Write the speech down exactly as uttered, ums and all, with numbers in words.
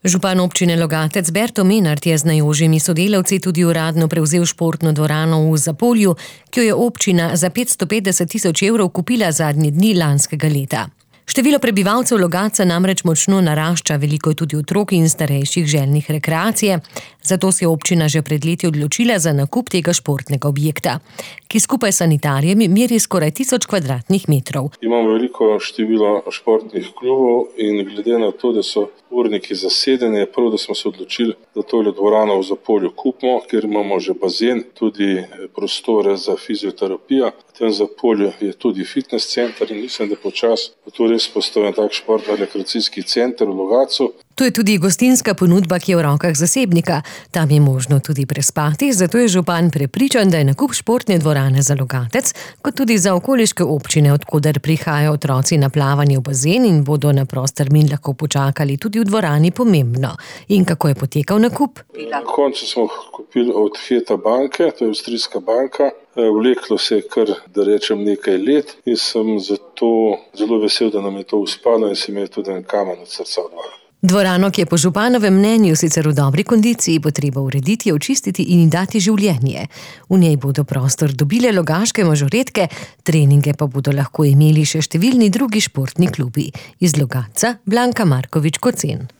Župan občine Logatec Berto Menart je z najožjimi sodelavci tudi uradno prevzel športno dvorano v Zapolju, ki jo je občina za petsto petdeset tisoč evrov kupila zadnji dni lanskega leta. Število prebivalcev Logatca namreč močno narašča, veliko je tudi otrok in starejših željnih rekreacije, zato se je občina že pred leti odločila za nakup tega športnega objekta, ki skupaj s sanitarjem meri skoraj tisoč kvadratnih metrov. Imamo veliko število športnih klubov in glede na to, da so urniki zasedeni, je prav, da smo se odločili, da tole dvorano v Zapolju kupimo, ker imamo že bazen, tudi prostore za fizioterapijo. V tem Zapolju je tudi fitness center in mislim, da počas bo to res postavljen tak športno-rekreacijski center v Logatcu. To je tudi gostinska ponudba, ki je v rokah zasebnika. Tam je možno tudi prespati, zato je župan prepričan, da je nakup športne dvorane za Logatec, kot tudi za okoliške občine, od koder prihajajo otroci na plavanje v bazen in bodo na prost termin lahko počakali tudi v dvorani, pomembno. In kako je potekal nakup? Na koncu smo kupili od Heta banke, to je avstrijska banka. Vleklo se je kar, da rečem, nekaj let in sem zato zelo vesel, da nam je to uspelo in si imel tudi en kamen od srca odvala. Dvorano, ki je po županovem mnenju sicer v dobri kondiciji, bo treba urediti, očistiti in dati življenje. V njej bodo prostor dobile logaške mažoretke, treninge pa bodo lahko imeli še številni drugi športni klubi. Iz Logatca Blanka Markovič Kocen.